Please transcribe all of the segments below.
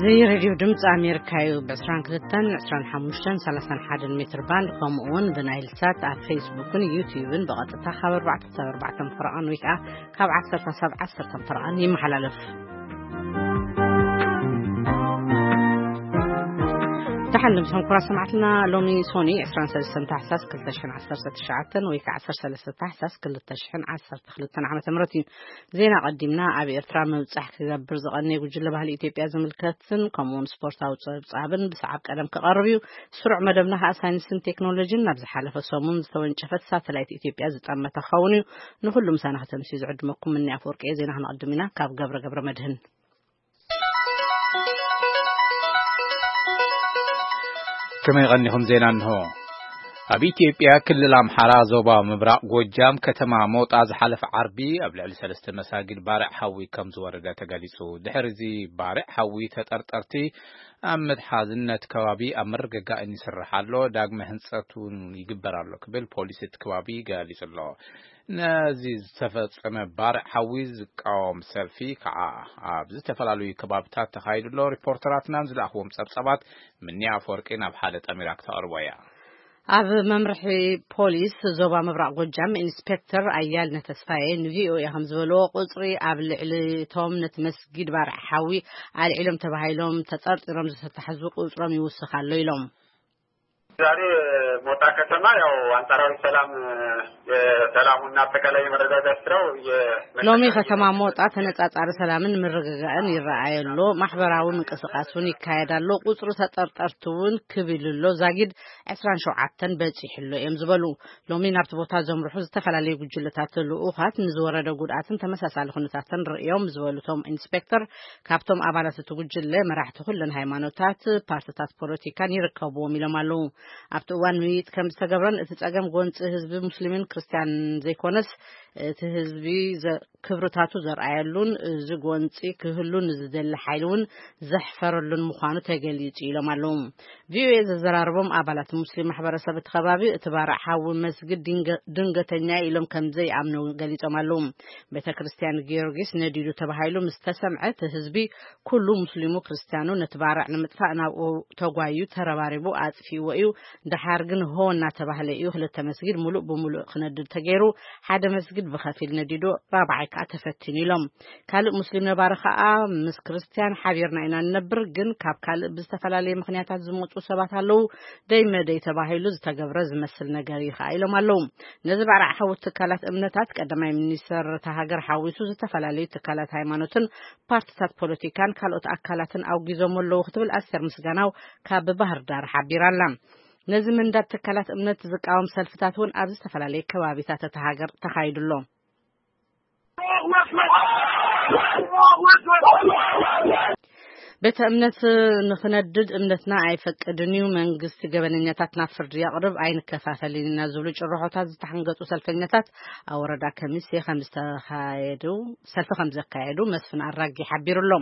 እዚ ሬድዮ ድምፂ ኣሜሪካ እዩ። ብ22፣ 25፣ 31 ሜትር ባንድ፣ ከምኡ እውን ብናይል ሳት ኣብ ፌስቡክን ዩቲዩብን ብቐጥታ ካብ ኣርባዕተ ክሳብ ኣርባዕተ ፈረቓን ወይ ከዓ ካብ ዓሰርተ ክሳብ ዓሰርተ ፈረቓን ይመሓላለፍ። ደሓን ድምፅኹም ክቡራት ሰማዕትና። ሎሚ ሶኒ 23 ታሕሳስ 2019 ወይ ከዓ 13 ታሕሳስ 2012 ዓመተ ምህረት እዩ። ዜና ቀዲምና። ኣብ ኤርትራ ምብጻሕ ክገብር ዝቐነየ ጉጅለ ባህሊ ኢትዮጵያ ዝምልከትን ከምኡውን ስፖርታዊ ጸብጻብን ብሰዓብ ቀደም ክቐርብ እዩ። ስሩዕ መደብና ከኣ ሳይንስን ቴክኖሎጂን ናብ ዝሓለፈ ሰሙን ዝተወንጨፈት ሳተላይት ኢትዮጵያ ዝጠመተ ክኸውን እዩ። ንኹሉ ምሳና ከተምስዩ ዝዕድመኩም ምኒ ኣፈወርቂ እየ። ዜና ክነቐድም ኢና። ካብ ገብረ ገብረ መድህን። ከመይ ቀኒኹም? ዜና እንሆ። ኣብ ኢትዮጵያ ክልል ኣምሓራ ዞባ ምብራቕ ጎጃም ከተማ ሞጣ ዝሓለፈ ዓርቢ ኣብ ልዕሊ ሰለስተ መሳጊድ ባርዕ ሓዊ ከም ዝወረደ ተገሊጹ። ድሕሪ እዚ ባርዕ ሓዊ ተጠርጠርቲ ኣብ መትሓዝነት ከባቢ ኣብ ምርግጋእን ይስራሕ ኣሎ፣ ዳግመ ህንጸት እውን ይግበር ኣሎ ክብል ፖሊስ እቲ ከባቢ ገሊጹ ኣሎ። ነዚ ዝተፈጸመ ባርዕ ሓዊ ዝቃወም ሰልፊ ከዓ ኣብ ዝተፈላለዩ ከባብታት ተኻይዱ ኣሎ። ሪፖርተራትናን ዝለኣኽዎም ጸብጻባት ምንያ ኣፈወርቂ ናብ ሓደ ጠሚራ ክተቕርቦ እያ። ኣብ መምርሒ ፖሊስ ዞባ ምብራቕ ጎጃም ኢንስፔክተር ኣያልነ ተስፋዬ ንቪኦኤ ከም ዝበልዎ፣ ቁጽሪ ኣብ ልዕሊ እቶም ነቲ መስጊድ ባርዕ ሓዊ ኣልዒሎም ተባሂሎም ተጠርጢሮም ዝተታሕዙ ቁጽሮም ይውስኽ ኣሎ ኢሎም። ዛሬ ሞጣ ከተማ ያው አንጻራዊ ሰላም፣ የሰላሙና አጠቃላይ የመረጋጋት ስራው የ- ሎሚ ከተማ ሞጣ ተነጻጻሪ ሰላምን ምርግጋእን ይረኣይ ኣሎ። ማሕበራዊ ምንቅስቃስ እውን ይካየድ ኣሎ። ቁጽሪ ተጠርጠርቲ እውን ክብ ኢሉ ኣሎ። ዛጊድ ዕስራን ሸውዓተን በጺሑ ኣሎ እዮም ዝበሉ። ሎሚ ናብቲ ቦታ ዘምርሑ ዝተፈላለዩ ጉጅለታት ልኡኻት ንዝወረደ ጉድኣትን ተመሳሳሊ ኩነታትን ርእዮም ዝበሉ እቶም ኢንስፔክተር፣ ካብቶም ኣባላት እቲ ጉጅለ መራሕቲ ኩለን ሃይማኖታት፣ ፓርትታት ፖለቲካን ይርከብዎም ኢሎም ኣለዉ። ኣብቲ እዋን ምይይጥ ከም ዝተገብረን እቲ ጸገም ጎንጺ ህዝቢ ሙስሊምን ክርስትያን ዘይኮነስ እቲ ህዝቢ ዘ- ክብርታቱ ዘርኣየሉን እዚ ጎንጺ ክህሉ ንዝደሊ ሓይሊ እውን ዘሕፈረሉን ምዃኑ ተገሊጹ ኢሎም ኣለዉ። ቪኦኤ ዘዘራረቦም ኣባላት ሙስሊም ማሕበረሰብ እቲ ከባቢ እቲ ባርዕ ሓዊ መስጊድ ድንገ- ድንገተኛ ኢሎም ከም ዘይኣምኑ ገሊጾም ኣለዉ። ቤተ ክርስቲያን ጊዮርጊስ ነዲዱ ተባሂሉ ምስ ተሰምዐ እቲ ህዝቢ ኩሉ ሙስሊሙ ክርስትያኑ ነቲ ባርዕ ንምጥፋእ ናብኡ ተጓዩ ተረባሪቡ ኣጥፊእዎ እዩ። ደሓር ግን ሆ እናተባህለ እዩ ክልተ መስጊድ ሙሉእ ብሙሉእ ክነድድ ተገይሩ። ሓደ መስጊድ ብኸፊል ነዲዱ፣ ራብዓይ ከዓ ተፈቲኑ ኢሎም። ካልእ ሙስሊም ነባሪ ከዓ ምስ ክርስትያን ሓቢርና ኢና ንነብር፣ ግን ካብ ካልእ ብዝተፈላለየ ምኽንያታት ዝመፁ ሰባት ኣለዉ፣ ደይ መደይ ተባሂሉ ዝተገብረ ዝመስል ነገር እዩ ከዓ ኢሎም ኣለዉ። ነዚ ባርዕ ሓዊ ትካላት እምነታት ቀዳማይ ሚኒስተር እታ ሃገር ሓዊሱ ዝተፈላለዩ ትካላት ሃይማኖትን ፓርትታት ፖለቲካን ካልኦት ኣካላትን ኣውጊዞም ኣለዉ ክትብል ኣስቴር ምስጋናው ካብ ባህር ዳር ሓቢራ ኣላ። ነዚ ምንዳድ ትካላት እምነት ዝቃወም ሰልፍታት እውን ኣብ ዝተፈላለየ ከባቢታት እታ ሃገር ተኻይዱ ኣሎ። ቤተ እምነት ንኽነድድ እምነትና ኣይፈቅድን እዩ። መንግስቲ ገበነኛታት ናብ ፍርዲ የቕርብ፣ ኣይንከፋፈልን ኢና ዝብሉ ጭርሖታት ዝተሓንገጡ ሰልፈኛታት ኣብ ወረዳ ከሚሴ ከም ዝተኻየዱ፣ ሰልፊ ከም ዘካየዱ መስፍን ኣራጊ ሓቢሩ ኣሎ።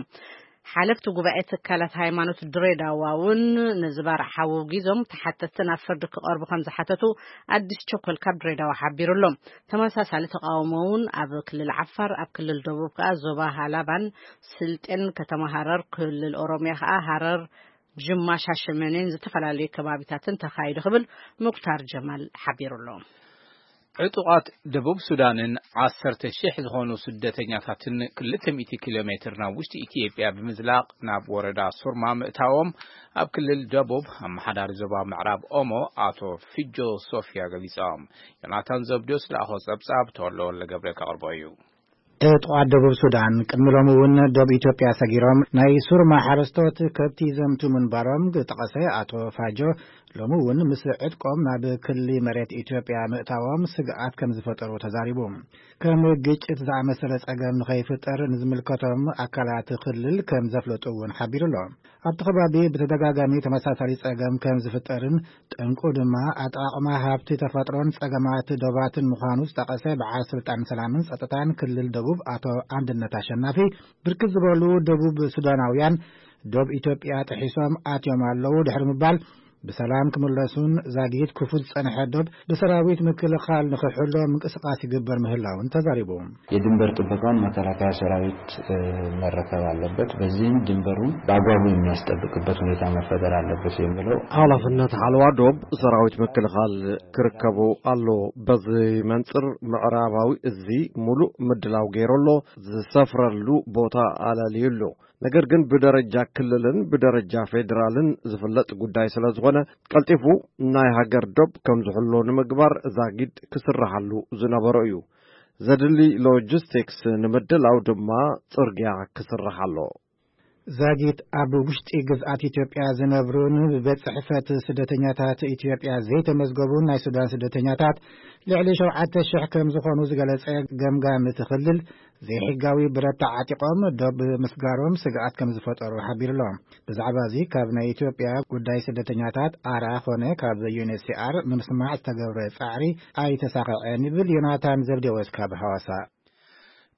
ሓለፍቲ ጉባኤ ትካላት ሃይማኖት ድሬዳዋ እውን ነዚ ባርዕ ሓዊ ኣውጊዞም ተሓተትቲ ናብ ፍርዲ ክቐርቡ ከም ዝሓተቱ ኣዲስ ቸኮል ካብ ድሬዳዋ ሓቢሩ ኣሎ። ተመሳሳሊ ተቃውሞ እውን ኣብ ክልል ዓፋር፣ ኣብ ክልል ደቡብ ከዓ ዞባ ሃላባን ስልጤን፣ ከተማ ሃረር፣ ክልል ኦሮሚያ ከዓ ሃረር፣ ጅማ፣ ሻሸመኔን ዝተፈላለዩ ከባቢታትን ተኻይዱ ክብል ሙክታር ጀማል ሓቢሩ ኣሎ። ዕጡቓት ደቡብ ሱዳንን ዓሰርተ ሺሕ ዝኾኑ ስደተኛታትን ክልተ ሚእቲ ኪሎ ሜትር ናብ ውሽጢ ኢትዮጵያ ብምዝላቕ ናብ ወረዳ ሱርማ ምእታዎም ኣብ ክልል ደቡብ ኣመሓዳሪ ዞባ ምዕራብ ኦሞ ኣቶ ፊጆ ሶፊያ ገሊጾም። ዮናታን ዘብዲዮስ ለኣኾ ጸብጻብ ተወልደ ወልደ ገብረ ከቕርቦ እዩ። ዕጡቓት ደቡብ ሱዳን ቅድሚ ሎሚ እውን ደቡብ ኢትዮጵያ ሰጊሮም ናይ ሱርማ ሓረስቶት ከብቲ ዘምቱ ምንባሮም ዝጠቐሰ ኣቶ ፋጆ፣ ሎሚ እውን ምስ ዕጥቆም ናብ ክሊ መሬት ኢትዮጵያ ምእታዎም ስግኣት ከም ዝፈጠሩ ተዛሪቡ። ከም ግጭት ዝኣመሰለ ጸገም ንኸይፍጠር ንዝምልከቶም ኣካላት ክልል ከም ዘፍለጡ እውን ሓቢሩ ኣሎ። ኣብቲ ከባቢ ብተደጋጋሚ ተመሳሳሊ ጸገም ከም ዝፍጠርን ጠንቁ ድማ ኣጠቓቕማ ሃብቲ ተፈጥሮን ጸገማት ዶባትን ምዃኑ ዝጠቐሰ በዓል ስልጣን ሰላምን ጸጥታን ክልል ደቡብ ኣቶ ኣንድነት ኣሸናፊ፣ ብርክት ዝበሉ ደቡብ ሱዳናውያን ዶብ ኢትዮጵያ ጥሒሶም ኣትዮም ኣለዉ ድሕሪ ምባል፣ ብሰላም ክምለሱን ዛጊት ክፉት ዝጸንሐ ዶብ ብሰራዊት ምክልኻል ንኽሕሎ ምንቅስቃስ ይግበር ምህላውን ተዛሪቡ። የድንበር ጥበቃን መከላከያ ሰራዊት መረከብ ኣለበት። በዚህም ድንበሩን በአግባቡ የሚያስጠብቅበት ሁኔታ መፈጠር አለበት የሚለው ኃላፊነት ሓለዋ ዶብ ሰራዊት ምክልኻል ክርከቡ ኣሎ። በዚ መንጽር ምዕራባዊ እዚ ሙሉእ ምድላው ገይሩ ኣሎ። ዝሰፍረሉ ቦታ ኣለልዩ ኣሎ። ነገር ግን ብደረጃ ክልልን ብደረጃ ፌዴራልን ዝፍለጥ ጉዳይ ስለ ዝኾነ ቀልጢፉ ናይ ሃገር ዶብ ከም ዝሕሎ ንምግባር ዛጊድ ክስርሓሉ ዝነበሮ እዩ። ዘድሊ ሎጂስቲክስ ንምድላው ድማ ጽርግያ ክስራሕ ኣሎ። ዛጊት ኣብ ውሽጢ ግዝኣት ኢትዮጵያ ዝነብሩን ብቤት ጽሕፈት ስደተኛታት ኢትዮጵያ ዘይተመዝገቡን ናይ ሱዳን ስደተኛታት ልዕሊ ሸውዓተ ሽሕ ከም ዝኾኑ ዝገለጸ ገምጋም እቲ ክልል ዘይሕጋዊ ብረት ተዓጢቖም ዶብ ምስጋሮም ስግኣት ከም ዝፈጠሩ ሓቢሩ ኣሎ። ብዛዕባ እዚ ካብ ናይ ኢትዮጵያ ጉዳይ ስደተኛታት ኣራ ኾነ ካብ ዩኤንኤችሲኣር ንምስማዕ ዝተገብረ ጻዕሪ ኣይተሳኸዐን ይብል ዮናታን ዘብዴዎስ ካብ ሐዋሳ።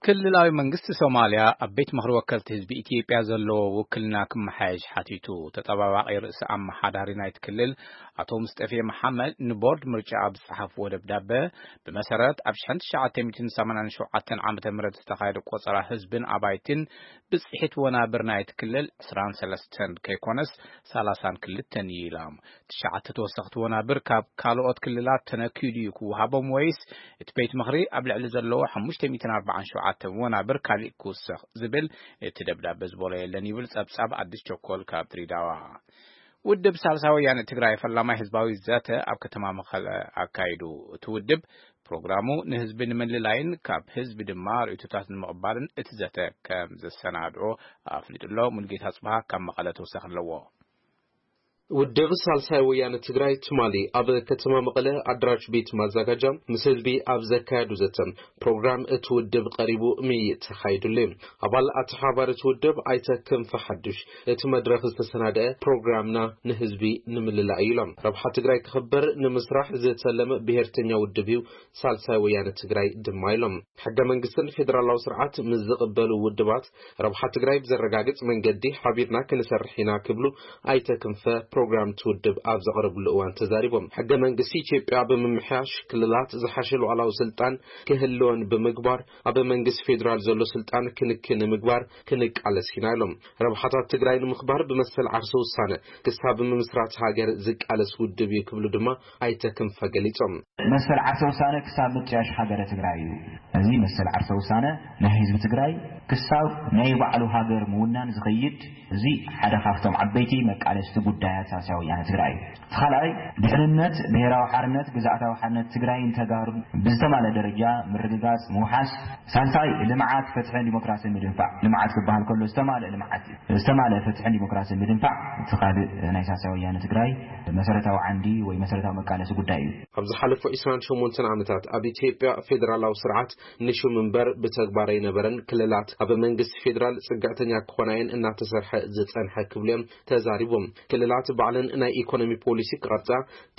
ክልላዊ መንግስቲ ሶማልያ ኣብ ቤት ምኽሪ ወከልቲ ህዝቢ ኢትዮጵያ ዘለዎ ውክልና ክመሓየሽ ሓቲቱ። ተጠባባቒ ርእሰ ኣመሓዳሪ ናይቲ ክልል ኣቶ ሙስጠፌ መሓመድ ንቦርድ ምርጫ ኣብ ዝጸሓፍዎ ደብዳበ ብመሰረት ኣብ ሽሕን ትሽዓተ ሚእትን ሰማንያን ሸውዓተን ዓመተ ምህረት ዝተኻየደ ቆጸራ ህዝብን ኣባይትን ብጽሒት ወናብር ናይቲ ክልል ዕስራን ሰለስተን ከይኮነስ ሰላሳን ክልተን እዩ ኢሎም። ትሽዓተ ተወሰኽቲ ወናብር ካብ ካልኦት ክልላት ተነኪኡ ድዩ ክወሃቦም ወይስ እቲ ቤት ምኽሪ ኣብ ልዕሊ ዘለዎ ሓሙሽተ ሚእትን ኣርባዓን ሸውዓተ ወናብር ካሊእ ክውሰኽ ዝብል እቲ ደብዳበ ዝበሎ የለን ይብል ጸብጻብ ኣዲስ ቸኮል ካብ ድሬዳዋ። ውድብ ሳልሳይ ወያነ ትግራይ ፈላማይ ህዝባዊ ዘተ ኣብ ከተማ መቐለ ኣካይዱ። እቲ ውድብ ፕሮግራሙ ንህዝቢ ንምልላይን ካብ ህዝቢ ድማ ርእይቶታት ንምቕባልን እቲ ዘተ ከም ዘሰናድኦ ኣፍሊጡ ኣሎ። ሙልጌታ ጽብሃ ካብ መቐለ ተወሳኺ ኣለዎ። ውድብ ሳልሳይ ወያነ ትግራይ ትማሊ ኣብ ከተማ መቐለ ኣድራሽ ቤት ማዘጋጃ ምስ ህዝቢ ኣብ ዘካየዱ ዘተ ፕሮግራም እቲ ውድብ ቀሪቡ ምይይጥ ተኻይዱሉ። ኣባል ኣተሓባሪ እቲ ውድብ ኣይተ ክንፈ ሓዱሽ እቲ መድረኽ ዝተሰናደአ ፕሮግራምና ንህዝቢ ንምልላእ እዩ ኢሎም። ረብሓ ትግራይ ክኽበር ንምስራሕ ዝተለመ ብሄርተኛ ውድብ እዩ ሳልሳይ ወያነ ትግራይ ድማ ኢሎም። ሕገ መንግስትን ፌዴራላዊ ስርዓት ምስ ዝቕበሉ ውድባት ረብሓ ትግራይ ብዘረጋግፅ መንገዲ ሓቢርና ክንሰርሕ ኢና ክብሉ ኣይተ ክንፈ ፕሮግራም እቲ ውድብ ኣብ ዘቕረብሉ እዋን ተዛሪቦም። ሕገ መንግስቲ ኢትዮጵያ ብምምሕያሽ ክልላት ዝሓሸ ሉዓላዊ ስልጣን ክህልወን ብምግባር ኣብ መንግስቲ ፌዴራል ዘሎ ስልጣን ክንክን ንምግባር ክንቃለስ ኢና ኢሎም። ረብሓታት ትግራይ ንምኽባር ብመሰል ዓርሰ ውሳነ ክሳብ ምምስራት ሃገር ዝቃለስ ውድብ እዩ ክብሉ ድማ ኣይተ ክንፈ ገሊጾም። መሰል ዓርሰ ውሳነ ክሳብ ምጥያሽ ሃገረ ትግራይ እዩ። እዚ መሰል ዓርሰ ውሳነ ናይ ህዝቢ ትግራይ ክሳብ ናይ ባዕሉ ሃገር ምውናን ዝኸይድ፣ እዚ ሓደ ካብቶም ዓበይቲ መቃለስቲ ጉዳያት ሳልሳይ ወያነ ትግራይ እዩ። እቲ ካልኣይ ድሕንነት፣ ብሄራዊ ሓርነት፣ ግዝኣታዊ ሓርነት ትግራይን ተጋሩን ብዝተማልአ ደረጃ ምርግጋፅ፣ ምውሓስ። ሳልሳይ ልምዓት፣ ፍትሕን ዲሞክራሲን ምድንፋዕ። ልምዓት ክበሃል ከሎ ዝተማልአ ልምዓት እዩ። ዝተማልአ ፍትሕን ዲሞክራሲን ምድንፋዕ እቲ ካልእ ናይ ሳልሳይ ወያነ ትግራይ መሰረታዊ ዓንዲ ወይ መሰረታዊ መቃለሲ ጉዳይ እዩ። ኣብ ዝሓለፉ ዕስራን ሸሞንተን ዓመታት ኣብ ኢትዮጵያ ፌዴራላዊ ስርዓት ንሽም እምበር ብተግባር ኣይነበረን። ክልላት ኣብ መንግስቲ ፌዴራል ፅግዕተኛ ክኾና እየን እናተሰርሐ ዝፀንሐ ክብሉ እዮም ተዛሪቦም። ክልላት ባዕለን ናይ ኢኮኖሚ ፖሊሲ ክቐርፃ፣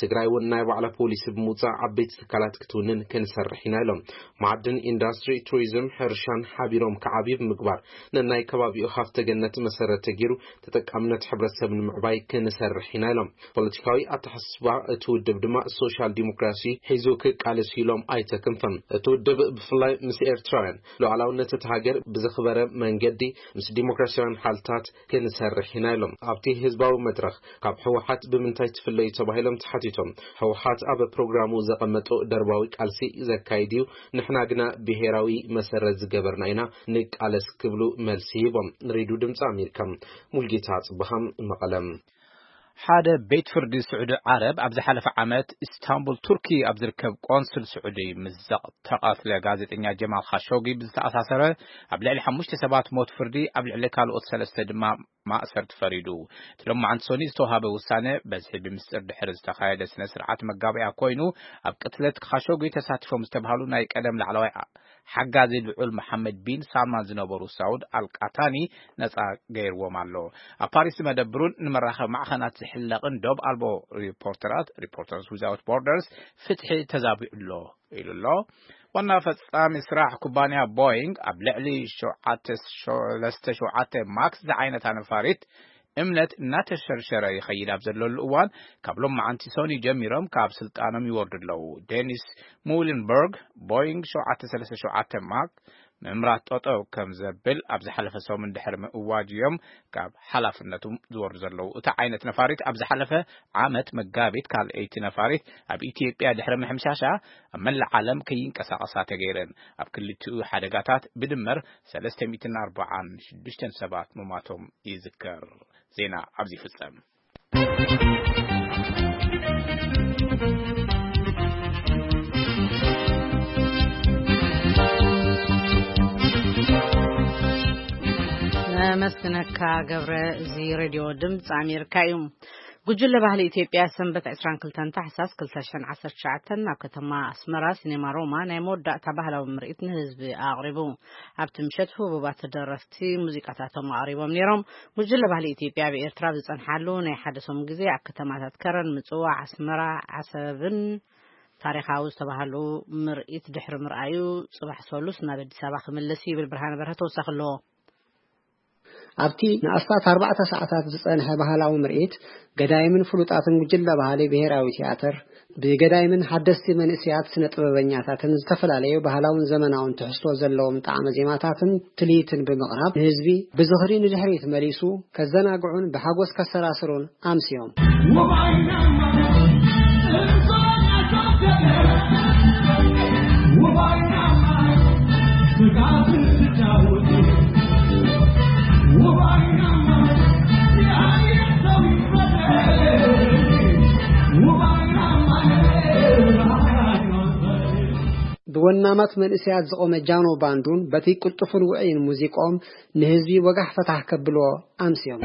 ትግራይ እውን ናይ ባዕላ ፖሊሲ ብምውፃእ ዓበይቲ ትካላት ክትውንን ክንሰርሕ ኢና ኢሎም። ማዕድን፣ ኢንዳስትሪ፣ ቱሪዝም፣ ሕርሻን ሓቢሮም ክዓብዩ ብምግባር ነናይ ከባቢኡ ሃፍተ ገነት መሰረት ተገይሩ ተጠቃምነት ሕብረተሰብ ንምዕባይ ክንሰርሕ ኢና ኢሎም። ፖለቲካዊ ኣተሓሳስባ እቲ ውድብ ድማ ሶሻል ዲሞክራሲ ሒዙ ክቃለስ ኢሎም ኣይተ ክንፈ። እቲ ውድብ ብፍላይ ምስ ኤርትራውያን ሉዓላውነት እቲ ሃገር ብዘኽበረ መንገዲ ምስ ዲሞክራሲያውያን ሓልታት ክንሰርሕ ኢና ኢሎም። ኣብቲ ህዝባዊ መድረኽ ካብ ህወሓት ብምንታይ ትፍለዩ ተባሂሎም ተሓቲቶም፣ ህወሓት ኣብ ፕሮግራሙ ዘቐመጦ ደርባዊ ቃልሲ ዘካይድ እዩ፣ ንሕና ግና ብሄራዊ መሰረት ዝገበርና ኢና ንቃለስ ክብሉ መልሲ ሂቦም። ንሬድዮ ድምፂ ኣሜሪካ ሙልጌታ ጽብሃም መቐለም። ሓደ ቤት ፍርዲ ስዑዲ ዓረብ ኣብ ዝሓለፈ ዓመት ኢስታንቡል ቱርኪ ኣብ ዝርከብ ቆንስል ስዑዲ ምስ ዝተቐትለ ጋዜጠኛ ጀማል ካሾጊ ብዝተኣሳሰረ ኣብ ልዕሊ ሓሙሽተ ሰባት ሞት ፍርዲ ኣብ ልዕሊ ካልኦት ሰለስተ ድማ ማእሰርቲ ፈሪዱ። እቲ ሎማዓንቲ ሰኑይ ዝተዋሃበ ውሳነ በዝሒ ብምስጢር ድሕሪ ዝተኻየደ ስነ ስርዓት መጋበያ ኮይኑ ኣብ ቅትለት ካሾጊ ተሳቲፎም ዝተባሃሉ ናይ ቀደም ላዕለዋይ ሓጋዚ ልዑል መሓመድ ቢን ሳልማን ዝነበሩ ሳውድ ኣልቃታኒ ነጻ ገይርዎም ኣሎ። ኣብ ፓሪስ ዝመደብሩን ንመራኸቢ ማዕኸናት ዝሕለቕን ዶብ ኣልቦ ሪፖርተራት ሪፖርተርስ ዊዛውት ቦርደርስ ፍትሒ ተዛቢዑ ኣሎ ኢሉ ኣሎ። ዋና ፈጻሚ ስራሕ ኩባንያ ቦይንግ ኣብ ልዕሊ ሸውዓተ ሰለስተ ሸውዓተ ማክስ ዝዓይነታ ነፋሪት እምነት እናተሸርሸረ ይኸይድ ኣብ ዘለሉ እዋን፣ ካብ ሎማዓንቲ ሰኑይ ጀሚሮም ካብ ስልጣኖም ይወርዱ ኣለዉ። ዴኒስ ሙሊንበርግ፣ ቦይንግ ሸውዓተ ሰለስተ ሸውዓተ ማክ ምምራት ጠጠው ከም ዘብል ኣብ ዝሓለፈ ሰሙን ድሕሪ ምእዋጅ እዮም ካብ ሓላፍነቶም ዝወርዱ ዘለዉ። እቲ ዓይነት ነፋሪት ኣብ ዝሓለፈ ዓመት መጋቢት ካልኣይቲ ነፋሪት ኣብ ኢትዮጵያ ድሕሪ ምሕምሻሻ ኣብ መላእ ዓለም ከይንቀሳቐሳ ተገይረን። ኣብ ክልቲኡ ሓደጋታት ብድምር ሰለስተ ሚእትን ኣርባዓን ሽዱሽተን ሰባት ምሟቶም ይዝከር። ዜና ኣብዚ ይፍጸም። ነመስግነካ ገብረ። እዚ ሬድዮ ድምፂ ኣሜሪካ እዩ። ጉጅለ ባህሊ ኢትዮጵያ ሰንበት ዕስራን ክልተን ታሕሳስ ክልተ ሽሕን ዓሰርተ ትሽዓተን ኣብ ከተማ ኣስመራ ሲኔማ ሮማ ናይ መወዳእታ ባህላዊ ምርኢት ንህዝቢ ኣቕሪቡ። ኣብቲ ምሸት ህቡባት ደረፍቲ ሙዚቃታቶም ኣቕሪቦም ነይሮም። ጉጅለ ባህሊ ኢትዮጵያ ኣብ ኤርትራ ኣብ ዝጸንሓሉ ናይ ሓደ ሰሙን ግዜ ኣብ ከተማታት ከረን፣ ምጽዋዕ፣ ኣስመራ፣ ዓሰብን ታሪኻዊ ዝተባህሉ ምርኢት ድሕሪ ምርኣዩ፣ ጽባሕ ሰሉስ ናብ ኣዲስ ኣበባ ክምለስ እዩ ይብል ብርሃነ በርሀ ተወሳኺ ኣለዎ። ኣብቲ ንኣስታት ኣርባዕተ ሰዓታት ዝጸንሐ ባህላዊ ምርኢት፣ ገዳይምን ፍሉጣትን ጉጅለ ባህሊ ብሄራዊ ቲያትር፣ ብገዳይምን ሓደስቲ መንእሰያት ስነ ጥበበኛታትን ዝተፈላለዩ ባህላውን ዘመናውን ትሕዝቶ ዘለዎም ጣዕመ ዜማታትን ትልሂትን ብምቕራብ፣ ንህዝቢ ብዝኽሪ ንድሕሪት መሊሱ ከዘናግዑን ብሓጎስ ከሰራስሩን ኣምስዮም። ብወናማት መንእሰያት ዝቖመ ጃኖ ባንዱን በቲ ቅልጡፍን ውዑይን ሙዚቆም ንህዝቢ ወጋሕ ፈታሕ ከብልዎ ኣምስዮም።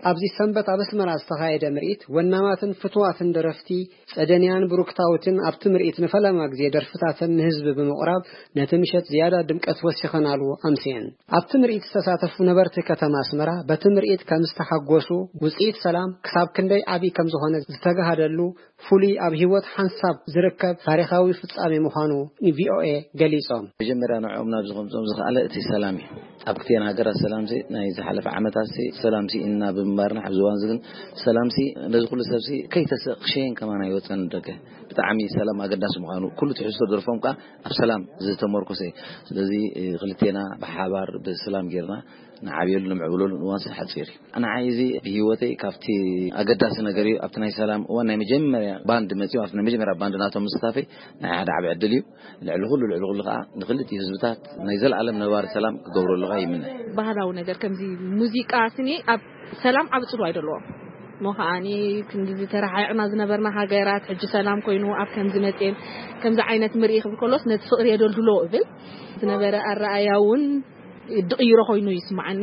ኣብዚ ሰንበት ኣብ ኣስመራ ዝተኻየደ ምርኢት፣ ወናማትን ፍቱዋትን ደረፍቲ ጸደንያን ብሩክታውትን ኣብቲ ምርኢት ንፈለማ ግዜ ደርፍታተን ንህዝቢ ብምቕራብ፣ ነቲ ምሸት ዝያዳ ድምቀት ወሲኸናሉ ኣምስየን። ኣብቲ ምርኢት ዝተሳተፉ ነበርቲ ከተማ ኣስመራ፣ በቲ ምርኢት ከም ዝተሓጎሱ፣ ውጽኢት ሰላም ክሳብ ክንደይ ዓቢ ከም ዝኾነ ዝተጋሃደሉ፣ ፍሉይ ኣብ ህይወት ሓንሳብ ዝርከብ ታሪኻዊ ፍጻሜ ምዃኑ ንቪኦኤ ገሊጾም። መጀመርያ ንዕኦም ናብዚ ከምጽኦም ዝኸኣለ እቲ ሰላም እዩ። ኣብ ክልቲኤን ሃገራት ሰላምሲ ናይ ዝሓለፈ ዓመታትሲ ሰላምሲ ኢና ብምንባርና፣ ኣብዚ እዋንዚ ግን ሰላምሲ ነዚ ኩሉ ሰብሲ ከይተስእ ክሸየን ከማን ኣይወጸን ደገ። ብጣዕሚ ሰላም ኣገዳሲ ምዃኑ፣ ኩሉ ትሕዝቶ ደርፎም ከኣ ኣብ ሰላም ዝተመርኮሰ እዩ። ስለዚ፣ እ፣ ክልቴና ብሓባር ብሰላም ጌርና ንዓብየሉ ንምዕብለሉ እዋንሲ ሓጺር እዩ። ንዓይ እዚ ብህይወተይ ካብቲ ኣገዳሲ ነገር እዩ። ኣብቲ ናይ ሰላም እዋን ናይ መጀመርያ ባንድ መጺኡ፣ ኣብቲ ናይ መጀመርያ ባንድ ናቶም ምስታፈይ ናይ ሓደ ዓቢ ዕድል እዩ። ልዕሊ ኩሉ፣ ልዕሊ ኩሉ ከኣ ንክልቲኡ ህዝብታት ናይ ዘለኣለም ነባሪ ሰላም ክገብረሉ ከኣ ይምነ። ባህላዊ ነገር ከምዚ ሙዚቃ ስኒ ኣብ ሰላም ዓቢ ጽልዋ ይደለዎ። እሞ ከኣኒ ክንዲ ዝተረሓቕና ዝነበርና ሃገራት ሕጂ ሰላም ኮይኑ ኣብ ከምዚ መጽኤን ከምዚ ዓይነት ምርኢ ክብል ከሎስ ነቲ ፍቕሪ የደልድሎ እብል። ዝነበረ ኣረኣያ እውን ድቕይሮ ኮይኑ ይስምዓኒ።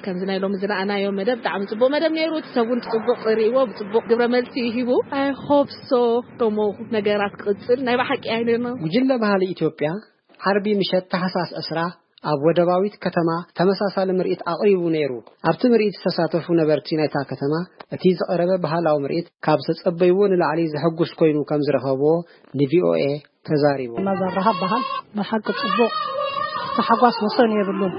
ከምዚ ናይ ሎሚ ዝረኣናዮ መደብ ብጣዕሚ ጽቡቕ መደብ ነይሩ። እቲ ሰብ እውን ጽቡቕ ርእይዎ፣ ብጽቡቕ ግብረ መልሲ ሂቡ። I hope so። ከምኡ ነገራት ክቕጽል ናይ ብሓቂ ኣይነርና። ጉጅለ ባህሊ ኢትዮጵያ ዓርቢ ምሸት ታሕሳስ ዕስራ ኣብ ወደባዊት ከተማ ተመሳሳሊ ምርኢት ኣቕሪቡ ነይሩ። ኣብቲ ምርኢት ዝተሳተፉ ነበርቲ ናይታ ከተማ፣ እቲ ዝቐረበ ባህላዊ ምርኢት ካብ ዝተጸበይዎ ንላዕሊ ዘሐጉስ ኮይኑ ከም ዝረኸብዎ ንቪኦኤ ተዛሪቦም። መዘራሃብ በሃል ብሓቂ ጽቡቕ፣ ተሓጓስ ወሰን የብሉን።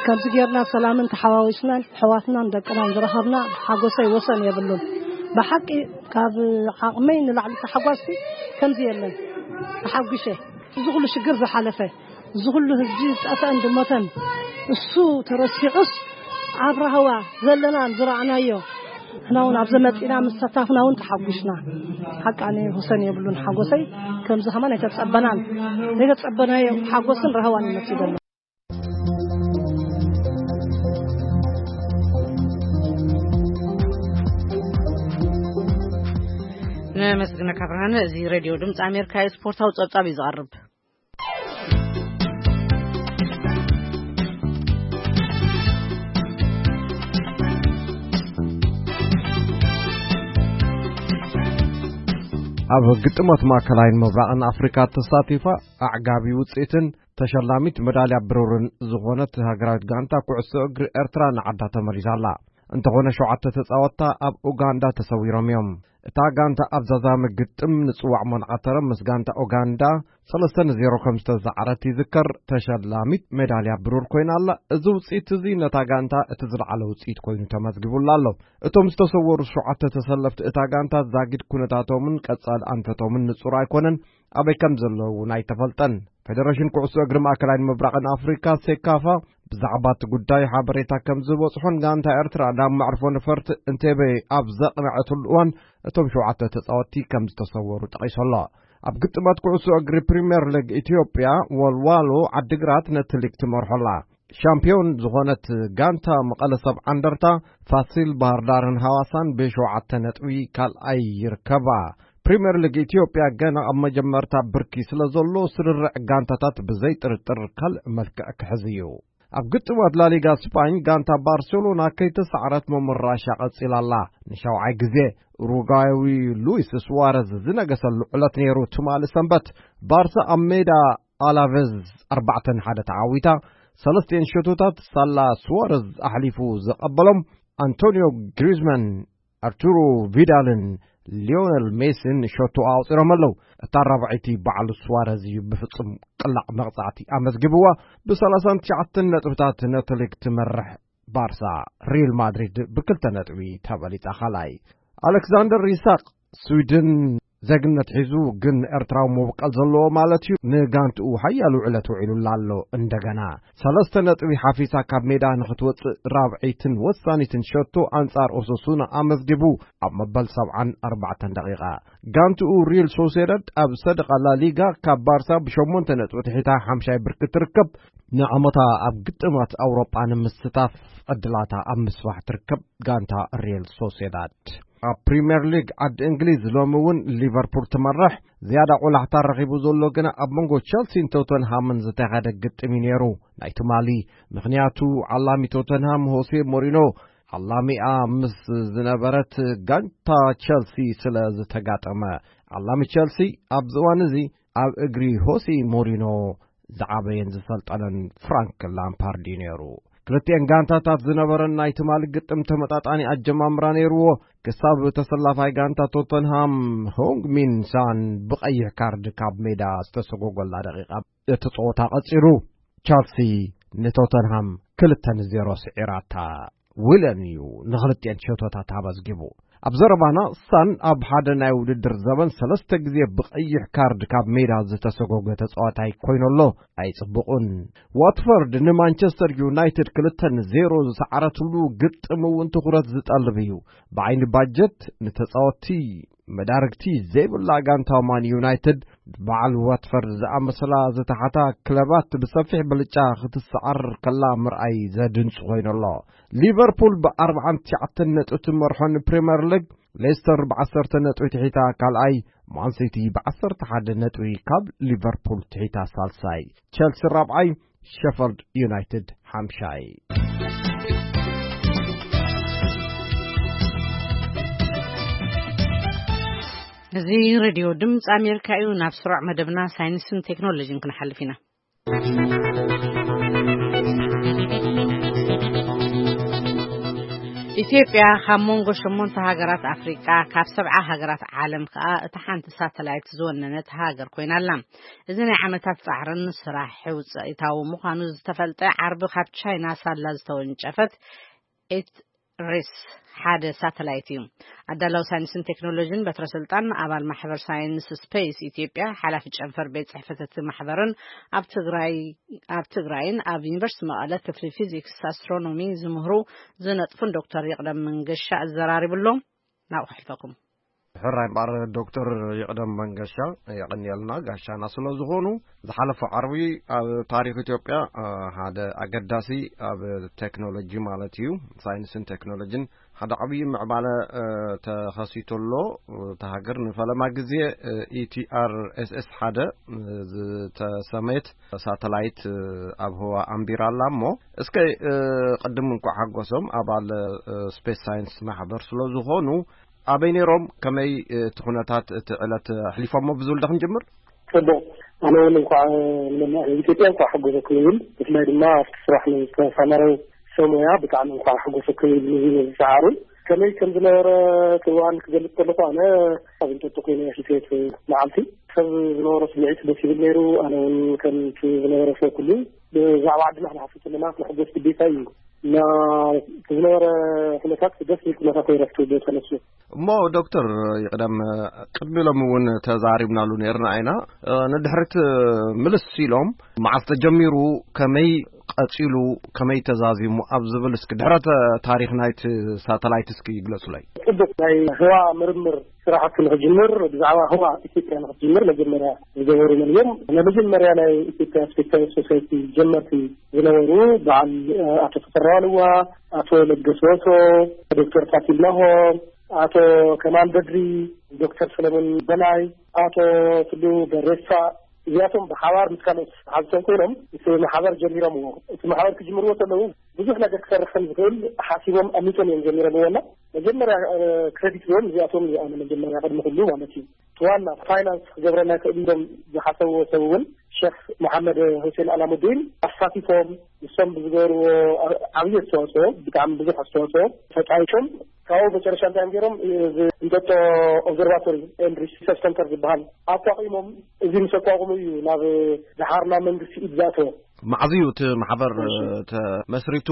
ከምዚ ጌርና ሰላምን ተሓዋዊስናን ኣሕዋትናን ደቅናን ዝረኸብና ሓጎሰይ ወሰን የብሉን። ብሓቂ ካብ ዓቕመይ ንላዕሊ ተሓጓስቲ ከምዚ የለን። ተሓጒሸ። እዚ ኩሉ ሽግር ዝሓለፈ፣ እዚ ኩሉ ህዝቢ ዝጠፍአን ዝሞተን እሱ ተረሲዑስ፣ ኣብ ራህዋ ዘለናን ዝረኣናዮ፣ ንሕና እውን ኣብዚ መጺና ምስ ተሳተፍና እውን ተሓጒስና። ሓቃኒ ወሰን የብሉን ሓጎሰይ። ከምዚ ከማን ኣይተጸበናን። ዘይተጸበናዮ ሓጎስን ራህዋን ይመጽእ ዘሎ። ነመስግነካ ብርሃነ። እዚ ሬድዮ ድምፂ ኣሜሪካ እዩ። ስፖርታዊ ጸብጻብ እዩ ዝቐርብ። ኣብ ግጥማት ማእከላይን ምብራቕን ኣፍሪካ ተሳቲፋ ኣዕጋቢ ውፅኢትን ተሸላሚት መዳልያ ብሩርን ዝኾነት ሃገራዊት ጋንታ ኩዕሶ እግሪ ኤርትራ ንዓዳ ተመሊሳ ኣላ። እንተኾነ ሸውዓተ ተጻወትታ ኣብ ኡጋንዳ ተሰዊሮም እዮም። እታ ጋንታ ኣብ ዛዛሚ ግጥም ንጽዋዕ ሞንዓተረ ምስ ጋንታ ኡጋንዳ ሰለስተ ንዜሮ ከም ዝተሰዓረት ይዝከር። ተሸላሚት ሜዳልያ ብሩር ኮይና ኣላ። እዚ ውጽኢት እዚ ነታ ጋንታ እቲ ዝለዓለ ውጽኢት ኮይኑ ተመዝጊቡላ ኣሎ። እቶም ዝተሰወሩ ሸውዓተ ተሰለፍቲ እታ ጋንታ ዛጊድ ኩነታቶምን ቀጻሊ ኣንፈቶምን ንጹር ኣይኮነን። ኣበይ ከም ዘለዉ እውን ኣይተፈልጠን። ፌደሬሽን ኩዕሶ እግሪ ማእከላይን ምብራቕን ኣፍሪካ ሴካፋ ብዛዕባ እቲ ጉዳይ ሓበሬታ ከም ዝበጽሖን ጋንታ ኤርትራ ናብ መዕርፎ ነፈርቲ እንቴቤ ኣብ ዘቕነዐትሉ እዋን እቶም ሸውዓተ ተጻወትቲ ከም ዝተሰወሩ ጠቒሱ ኣሎ። ኣብ ግጥማት ኩዕሶ እግሪ ፕሪምየር ሊግ ኢትዮጵያ ወልዋሎ ዓዲግራት ነቲ ሊግ ትመርሖ ኣላ። ሻምፒዮን ዝኾነት ጋንታ መቐለ ሰብ ዓንደርታ ፋሲል ባህርዳርን ሃዋሳን ብሸውዓተ ነጥቢ ካልኣይ ይርከባ። ፕሪምየር ሊግ ኢትዮጵያ ገና ኣብ መጀመርታ ብርኪ ስለ ዘሎ ስርርዕ ጋንታታት ብዘይ ጥርጥር ካልእ መልክዕ ክሕዝ እዩ። ኣብ ግጥማት ላሊጋ ስፓኝ ጋንታ ባርሴሎና ከይተሰዓረት ምምራሻ ቀጺላ ኣላ። ንሻውዓይ ግዜ ኡሩጓያዊ ሉዊስ ስዋረዝ ዝነገሰሉ ዕለት ነይሩ። ትማሊ ሰንበት ባርሳ ኣብ ሜዳ ኣላቨዝ ኣርባዕተ ንሓደ ተዓዊታ። ሰለስቲኤን ሸቶታት ሳላ ስዋረዝ ኣሕሊፉ ዘቐበሎም ኣንቶኒዮ ግሪዝማን፣ ኣርቱሮ ቪዳልን ሊዮነል ሜሲን ሸቶ ኣቑጺሮም ኣለዉ። እታ ራብዐይቲ ባዕሉ ስዋረዝ እዩ ብፍጹም ቅላዕ መቕጻዕቲ ኣመዝጊብዋ። ብ39 ነጥብታት ነቲ ሊግ ትመርሕ ባርሳ ሪል ማድሪድ ብክልተ ነጥቢ ተበሊጻ ካልኣይ። ኣሌክሳንደር ኢሳቅ ስዊድን ዜግነት ሒዙ ግን ኤርትራዊ መበቀል ዘለዎ ማለት እዩ። ንጋንትኡ ሓያል ውዕለት ውዒሉላ ኣሎ። እንደገና ሰለስተ ነጥቢ ሓፊሳ ካብ ሜዳ ንኽትወጽእ ራብዐይትን ወሳኒትን ሸቶ ኣንጻር ኦሶሱና ኣመዝጊቡ ኣብ መበል ሰብዓን ኣርባዕተን ደቂቓ። ጋንትኡ ሪል ሶሴዳድ ኣብ ሰደቓ ላሊጋ ካብ ባርሳ ብሸሞንተ ነጥቢ ትሒታ ሓምሻይ ብርኪ ትርከብ። ንዓመታ ኣብ ግጥማት ኣውሮጳ ንምስታፍ ዕድላታ ኣብ ምስፋሕ ትርከብ ጋንታ ሪል ሶሴዳድ። ኣብ ፕሪምየር ሊግ ዓዲ እንግሊዝ ሎሚ እውን ሊቨርፑል ትመርሕ። ዝያዳ ቆላሕታ ረኺቡ ዘሎ ግና ኣብ መንጎ ቸልሲን ቶተንሃምን ዝተኻየደ ግጥም እዩ ነይሩ ናይ ትማሊ። ምኽንያቱ ዓላሚ ቶተንሃም ሆሴ ሞሪኖ ዓላሚኣ ምስ ዝነበረት ጋንታ ቸልሲ ስለ ዝተጋጠመ። ዓላሚ ቸልሲ ኣብዚ እዋን እዚ ኣብ እግሪ ሆሴ ሞሪኖ ዝዓበየን ዝሰልጠነን ፍራንክ ላምፓርድ እዩ ነይሩ። ክልቲኤን ጋንታታት ዝነበረን ናይ ትማሊ ግጥም ተመጣጣኒ ኣጀማምራ ነይርዎ። ክሳብ ተሰላፋይ ጋንታ ቶተንሃም ሆንግ ሚን ሳን ብቐይሕ ካርድ ካብ ሜዳ ዝተሰጎጎላ ደቂቓ እቲ ጸወታ ቀጺሉ። ቻልሲ ንቶተንሃም ክልተ ንዜሮ ስዒራታ። ዊለን እዩ ንኽልቲኤን ሸቶታት ኣመዝጊቡ። ኣብ ዘረባና ሳን ኣብ ሓደ ናይ ውድድር ዘበን ሰለስተ ግዜ ብቐይሕ ካርድ ካብ ሜዳ ዝተሰጎገ ተጻዋታይ ኮይኑ ኣሎ። ኣይጽቡቕን። ዋትፈርድ ንማንቸስተር ዩናይትድ ክልተ ንዜሮ ዝሰዓረትሉ ግጥም እውን ትኹረት ዝጠልብ እዩ። ብዓይኒ ባጀት ንተጻወትቲ መዳርግቲ ዘይብላ ጋንታ ማን ዩናይትድ በዓል ዋትፈርድ ዝኣመሰላ ዝተሓታ ክለባት ብሰፊሕ ብልጫ ክትሰዓር ከላ ምርኣይ ዘድንጹ ኮይኑ ኣሎ። ሊቨርፑል ብ49 ነጥቢ ትመርሖ ንፕሪምየር ሊግ፣ ሌስተር ብ10 ነጥቢ ትሒታ ካልኣይ፣ ማንሲቲ ብ11 ነጥቢ ካብ ሊቨርፑል ትሒታ ሳልሳይ፣ ቸልሲ ራብዓይ፣ ሸፈልድ ዩናይትድ ሓምሻይ። እዚ ሬድዮ ድምፂ ኣሜሪካ እዩ። ናብ ስሩዕ መደብና ሳይንስን ቴክኖሎጂን ክንሓልፍ ኢና። ኢትዮጵያ ካብ መንጎ ሸሞንተ ሃገራት ኣፍሪቃ፣ ካብ ሰብዓ ሃገራት ዓለም ከኣ እታ ሓንቲ ሳተላይት ዝወነነት ሃገር ኮይና ኣላ። እዚ ናይ ዓመታት ጻዕርን ስራሕ ውጽኢታዊ ምዃኑ ዝተፈልጠ ዓርቢ ካብ ቻይና ሳላ ዝተወንጨፈት ኤት ሬስ ሓደ ሳተላይት እዩ። ኣዳላዊ ሳይንስን ቴክኖሎጂን በትረ ስልጣን ኣባል ማሕበር ሳይንስ ስፔስ ኢትዮጵያ፣ ሓላፊ ጨንፈር ቤት ጽሕፈት እቲ ማሕበርን ኣብ ትግራይ፣ ኣብ ትግራይን ኣብ ዩኒቨርሲቲ መቐለ ክፍሊ ፊዚክስ ኣስትሮኖሚ ዝምህሩ ዝነጥፉን ዶክተር ይቕደም መንገሻ ኣዘራሪቡ ኣሎ። ናብኡ ከሕልፈኩም። ሕራይ እምበኣር ዶክተር ይቕደም መንገሻ፣ የቐንየልና ጋሻና ስለ ዝኾኑ። ዝሓለፈ ዓርቢ ኣብ ታሪኽ ኢትዮጵያ፣ እ፣ ሓደ ኣገዳሲ ኣብ ቴክኖሎጂ ማለት እዩ፣ ሳይንስን ቴክኖሎጂን ሓደ ዓብዪ ምዕባለ፣ እ፣ ተኸሲቱ ኣሎ። እታ ሃገር ንፈለማ ግዜ፣ እ፣ ኢቲኣር ኤስኤስ ሓደ፣ እ፣ ዝተሰመየት ሳተላይት፣ እ፣ ኣብ ህዋ ኣንቢራ ኣላ እሞ፣ እስከ፣ እ፣ ቅድም እንኳዕ ሓጎሶም ኣባል፣ እ፣ ስፔስ ሳይንስ ማሕበር ስለ ዝኾኑ፣ ኣበይ ነይሮም? ከመይ እቲ ኩነታት እቲ ዕለት ኣሕሊፎሞ? ብዝብል ዶ ክንጅምር? ጽቡቕ። ኣነ እውን እንኳዕ ንመላእ ህዝቢ ኢትዮጵያ እንኳዕ ሓጎሰኩም ይብል። ብፍላይ ድማ ኣብቲ ስራሕ ንዝተሳመረው ሰብ ሞያ ብጣዕሚ እንኳዕ ሓጎሰኩም ይብል። ንዚ ነዚ ሰዓሩ ከመይ ከም ዝነበረ እቲ እዋን ክገልጽ ከለኹ፣ ኣነ ኣብ እንጠጡ ኮይነ ሕሴት መዓልቲ ሰብ ዝነበሮ ስምዒት ደስ ይብል ነይሩ። ኣነ እውን ከምቲ ዝነበረ ሰብ ኩሉ ብዛዕባ ዓድና ክንሓስብ ከለና ክንሕጎስ ግዴታ እዩ። እና እቲ ዝነበረ ኩነታት ደስ ዝብል ኩነታት ነይረ፣ ኣብቲ ቦታ ነሱ። እሞ ዶክተር ይቕደም፣ ቅድሚ ኢሎም እውን ተዛሪብናሉ ነይርና ኢና። ንድሕሪት ምልስ ኢሎም፣ መዓስ ተጀሚሩ፣ ከመይ ቀጺሉ፣ ከመይ ተዛዚሙ ኣብ ዝብል እስኪ ድሕረ ተ-፣ ታሪኽ ናይቲ ሳተላይት እስኪ ይግለጹለይ። ጽቡቕ። ናይ ህዋ ምርምር ስራሕቲ ንኽጅምር፣ ብዛዕባ ህዋ ኢትዮጵያ ንኽትጅምር መጀመርያ ዝገበሩ መን እዮም? ናይ መጀመርያ ናይ ኢትዮጵያ ስፔስ ሳይንስ ሶሳይቲ ጀመርቲ ዝነበሩ በዓል፣ እ፣ ኣቶ ተፈራ ዋልዋ፣ ኣቶ ለገሰ ወትሮ፣ ዶክተር ፋሲል ናሆም፣ ኣቶ ከማል በድሪ፣ ዶክተር ሰለሞን በላይ፣ ኣቶ ቱሉ በሬሳ፣ እዚኣቶም ብሓባር ምስ ካልኦት ሓዝቶም ኮይኖም እቲ ማሕበር ጀሚሮምዎ። እቲ ማሕበር ክጅምርዎ ከለዉ ብዙሕ ነገር ክሰርሕ ከም ዝኽእል ሓሲቦም ኣሚቶም እዮም ጀሚሮምዎ። እና መጀመርያ፣ እ፣ ክሬዲት ዝህቦም እዚኣቶም እዩ። ኣነ መጀመርያ ቅድሚ ኩሉ ማለት እዩ፣ እቲ ዋና ፋይናንስ ክገብረና ይኽእል ኢሎም ዝሓሰብዎ ሰብ እውን ሸኽ መሓመድ ሁሴን ኣላሙዲን ኣሳቲፎም፣ ንሶም ብዝገበርዎ ዓ-፣ ዓብዪ ኣስተዋፅኦ፣ ብጣዕሚ ብዙሕ ኣስተዋፅኦ ተፃዊቶም። ካብኡ መጨረሻ እንታይ እዮም ገይሮም? እዚ እንጠጦ ኦብዘርቫቶሪ ኤንድ ሪሰርች ሰንተር ዝበሃል ኣቋቒሞም። እዚ ምስ ኣቋቑሙ እዩ ናብ፣ ደሓር ናብ መንግስቲ ኢድ ዝኣተወ። መዓዝ እዩ እቲ ማሕበር፣ እሺ። ተመስሪቱ?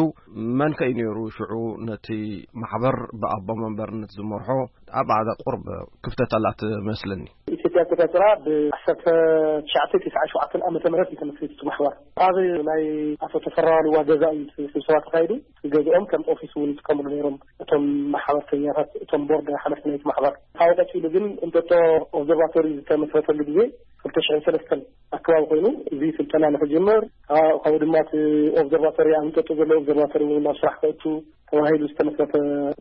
መን ከ እዩ ነይሩ ሽዑ ነቲ ማሕበር ብኣቦ መንበርነት ዝመርሖ? ኣብ ዓደ ቁርብ ክፍተት ኣላ ትመስለኒ። ኢትዮጵያ ኣቆጻጽራ ብዓሰርተ ትሽዓተ ተስዓን ሸውዓተን ዓመተ ምህረት እዩ ተመስሪቱ እቲ ማሕበር። ኣብ ናይ ኣቶ ተፈራ ዋልዋ ገዛ እዩ እቲ ስብሰባ ተኻይዱ። ገዝኦም ከም ኦፊስ እውን ይጥቀምሉ ነይሮም እቶም ማሕበርተኛታት፣ እቶም ቦርድ ሓለፍቲ ናይቲ ማሕበር። ካብኡ ቀጺሉ ግን እንጠጦ ኦብዘርቫቶሪ ዝተመስረተሉ ግዜ ክልተ ሽሕን ሰለስተን ኣከባቢ ኮይኑ፣ እዚ ስልጠና ንክጅምር፣ ካ-፣ ካብኡ ድማ እቲ ኦብዘርቫቶሪ፣ ኣብ እንጠጦ ዘሎ ኦብዘርቫቶሪ እውን ናብ ስራሕ ከእቱ ተባሂሉ ዝተመስረተ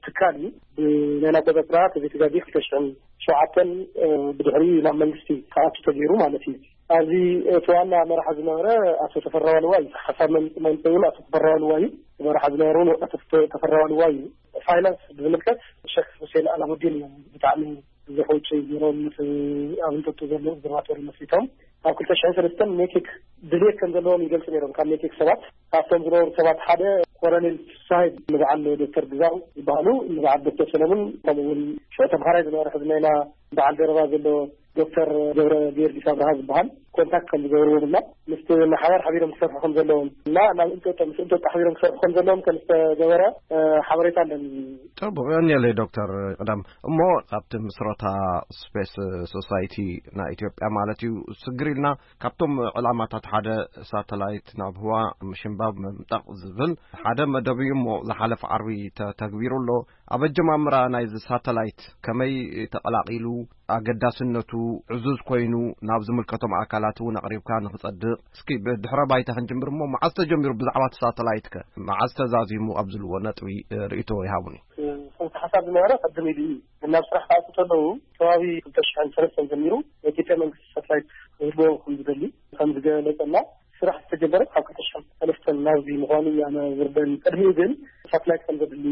ትካል እዩ። ብናይና ኣቆጻጽራ ተዘይተጋጊ ክልተ ሽሕን ሸውዓተን፣ እ፣ ብድሕሪ ናብ መንግስቲ ክኣቱ ተገይሩ ማለት እዩ። ኣብዚ እቲ ዋና መራሒ ዝነበረ ኣቶ ተፈራ ዋልዋ እዩ። ሓሳብ መም-፣ መምፅኡ እውን ኣቶ ተፈራ ዋልዋ እዩ። መራሒ ዝነበረ እውን ኣቶ ተፈ-፣ ተፈራ ዋልዋ እዩ። ፋይናንስ ብዝምልከት ሸክ ሁሴን ኣላሙዲን እዩ ብጣዕሚ ብዙሕ ውጭ ገይሮም ምስ ኣብ እንጠጡ ዘሎ ኦብዘርቫቶሪ መስሪቶም። ኣብ ክልተ ሽሕን ሰለስተን ሜቴክ ድሌት ከም ዘለዎም ይገልጹ ነይሮም። ካብ ሜቴክ ሰባት፣ ካብቶም ዝነበሩ ሰባት ሓደ ኮሎኔል ፍሳይ፣ ንበዓል ዶክተር ግዛው ዝበሃሉ፣ ንበዓል ዶክተር ሰለሙን፣ ከምኡ እውን ሽዑ ተምሃራይ ዝነበረ ሕዚ ናይና በዓል ደረባ ዘሎ ዶክተር ገብረ ጊዮርጊስ ኣብርሃ ዝበሃል ኮንታክት ከም ዝገበርዎም እና ምስቲ ማሕበር ሓቢሮም ክሰርሑ ከም ዘለዎም እና ናብ እንጠጦ፣ ምስ እንጠጦ ሓቢሮም ክሰርሑ ከም ዘለዎም ከም ዝተገበረ፣ እ፣ ሓበሬታ ኣለኒ። ጽቡቕ፣ የቐንየለይ ዶክተር ቅዳም። እሞ ካብቲ ምስረታ ስፔስ ሶሳይቲ ናይ ኢትዮጵያ ማለት እዩ፣ ስግር ኢልና ካብቶም ዕላማታት ሓደ ሳተላይት ናብ ህዋ ምሽንባብ ምምጣቕ ዝብል ሓደ መደብ እዩ። እሞ ዝሓለፈ ዓርቢ ተተግቢሩ ኣሎ። ኣብ ኣጀማምራ ናይዚ ሳተላይት ከመይ ተቐላቒሉ፣ ኣገዳስነቱ ዕዙዝ ኮይኑ ናብ ዝምልከቶም ኣካላት እውን ኣቕሪብካ ንኽጸድቕ፣ እስኪ ብድሕረ ባይታ ክንጅምር እሞ፣ መዓዝ ተጀሚሩ ብዛዕባ እቲ ሳተላይት ከ? መዓዝ ተዛዚሙ ኣብ ዝብልዎ ነጥቢ፣ እ፣ ርእይቶ ይሃቡኒ። እቲ ሓሳብ ዝነበረ ቅድም ኢሉ እዩ። ግን ናብ ስራሕ ክኣቱ ከለዉ ከባቢ ክልተ ሽሕን ሰለስተን ጀሚሩ ናይ ኢትዮጵያ መንግስቲ ሳተላይት ክህልዎ ከም ዝደሊ ከም ዝገለጸና፣ ስራሕ ዝተጀመረ ካብ ክልተ ሽሕን ሰለስተን ናብዚ ምዃኑ እዩ ኣነ ዝርደኒ። ቅድሚኡ ግን ሳተላይት ከም ዘድሊ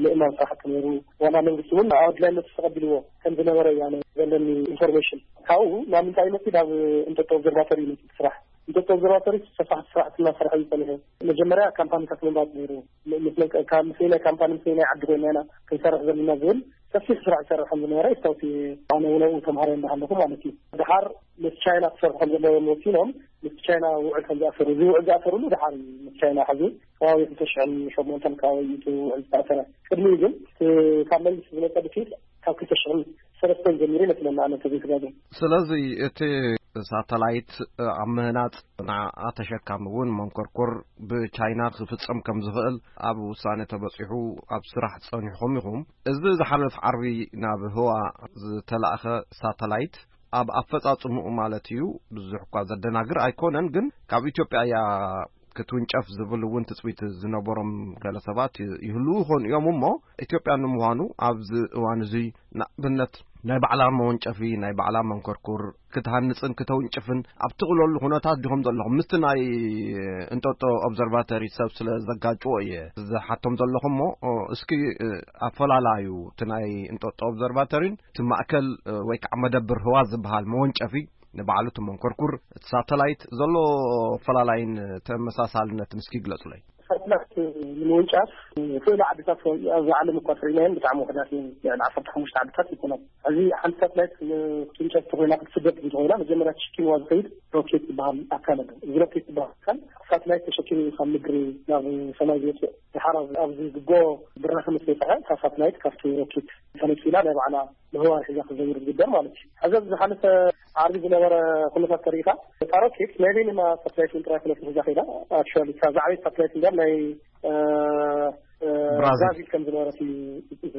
ምእማን ስራሕቲ ነይሩ። ዋና መንግስቲ እውን ኣብ ኣድላይነቱ ተቐቢልዎ ከም ዝነበረ እዩ ኣነ ዘለኒ ኢንፎርሜሽን። ካብኡ ናብ ምንታይ ይመጽእ? ናብ እንጠጦ ኦብዘርቫቶሪ ይመጽእ ስራሕ። እንጠጦ ኦብዘርቫቶሪ ሰፋሕቲ ስራሕቲ እናሰርሐ እዩ ጸኒሑ። መጀመርያ ካምፓኒታት ምምራጽ ነይሩ። ም-፣ ምስ መን-፣ ካብ፣ ምስ ናይ ካምፓኒ፣ ምስ ናይ ዓዲ ኮይና ኢና ክንሰርሕ ዘለና ዝብል ሰፊሕ ስራሕ ይሰርሕ ከም ዝነበረ የስታውስ እየ። ኣነ እውን ኣብኡ ተምሃራይ እንዳሃለኹ ማለት እዩ። ድሓር ምስ ቻይና ክሰርሑ ከም ዘለዎም ወሲኖም፣ ምስ ቻይና ውዕል ከም ዝኣሰሩ፣ እዚ ውዕል ዝኣሰሩሉ ድሓር እዩ ምስ ቻይና ሕዚ ከባቢ ክልተ ሽሕን ሸሞንተን ከባቢ እዩ እቲ ውዕል ዝተኣሰረ። ቅድሚኡ ግን እቲ ካብ መንግስቲ ዝመጸ ድፊት ካብ ክልተ ሽሕን ሰለስተን ጀሚሩ ይመስለኒ ኣነ ተዘይተጋገ። ስለዚ እቲ ሳተላይት ኣብ ምህናጽ ንዓኣ ተሸካሚ እውን መንኮርኮር ብቻይና ክፍጸም ከም ዝኽእል ኣብ ውሳነ ተበጺሑ ኣብ ስራሕ ጸኒሕኩም ኢኹም። እዚ ዝሓለፍ ዓርቢ ናብ ህዋ ዝተላእኸ ሳተላይት ኣብ ኣፈጻጽምኡ ማለት እዩ ብዙሕ እኳ ዘደናግር ኣይኮነን፣ ግን ካብ ኢትዮጵያ እያ ክትውንጨፍ ዝብል እውን ትጽቢት ዝነበሮም ገለ ሰባት ይህልዉ ይኾኑ እዮም። እሞ ኢትዮጵያ ንምዃኑ ኣብዚ እዋን እዚ ንኣብነት ናይ ባዕላ መወንጨፊ፣ ናይ ባዕላ መንኮርኩር ክትሃንጽን ክተውንጭፍን ኣብ ትኽእለሉ ኩነታት ዲኹም ዘለኹም? ምስቲ ናይ እንጦጦ ኦብዘርቫተሪ ሰብ ስለ ዘጋጭዎ እየ ዝሓቶም ዘለኹ እሞ፣ ኦ፣ እስኪ፣ እ፣ ኣፈላላዩ እቲ ናይ እንጦጦ ኦብዘርቫተሪን እቲ ማእከል፣ እ፣ ወይ ከዓ መደብር ህዋ ዝበሃል መወንጨፊ ንባዕሉ እቲ መንኮርኩር፣ እቲ ሳተላይት ዘሎ ኣፈላላይን ተመሳሳልነትን እስኪ ግለጹለይ። ሳተላይት ንምውንጫፍ ዝኽእሉ ዓድታት ኣብዚ ዓለም እኳ ትርኢናየን ብጣዕሚ ውሕዳት እየን። ልዕሊ ዓሰርተ ሓሙሽተ ዓድታት ይኮና። እዚ ሓንቲ ሳተላይት ክትውንጨፍ እንተኮይና፣ ክትስደድ እንተኮይና፣ መጀመርያ ተሸኪምዋ ዝኸይድ ሮኬት ዝበሃል ኣካል ኣሎ። እዚ ሮኬት ዝበሃል ኣካል ሳተላይት ተሸኪሙ እዩ ካብ ምድሪ ናብ ሰማይ ዝወፅእ። ድሓር ኣብ- ኣብዚ ዝጎ ብራኸ ምስ በፅሐ፣ እታ ሳተላይት ካብቲ ሮኬት ተነፂላ ናይ ባዕላ ምህዋር ሒዛ ክትዘውር ዝግበር ማለት እዩ። ሕዚ ኣብዚ ዝሓለፈ ዓርቢ ዝነበረ ኩነታት ተሪኢኻ፣ እታ ሮኬት ናይ በይንና ሳተላይት እውን ጥራይ ኮነት ሒዛ ከይዳ። ኣክቹዋሊ እታ ዝዓበየት ሳተላይት እንዲያም ናይ፣ እ፣ እ፣ ብራዚል። ብራዚል ከም ዝነበረት እዩ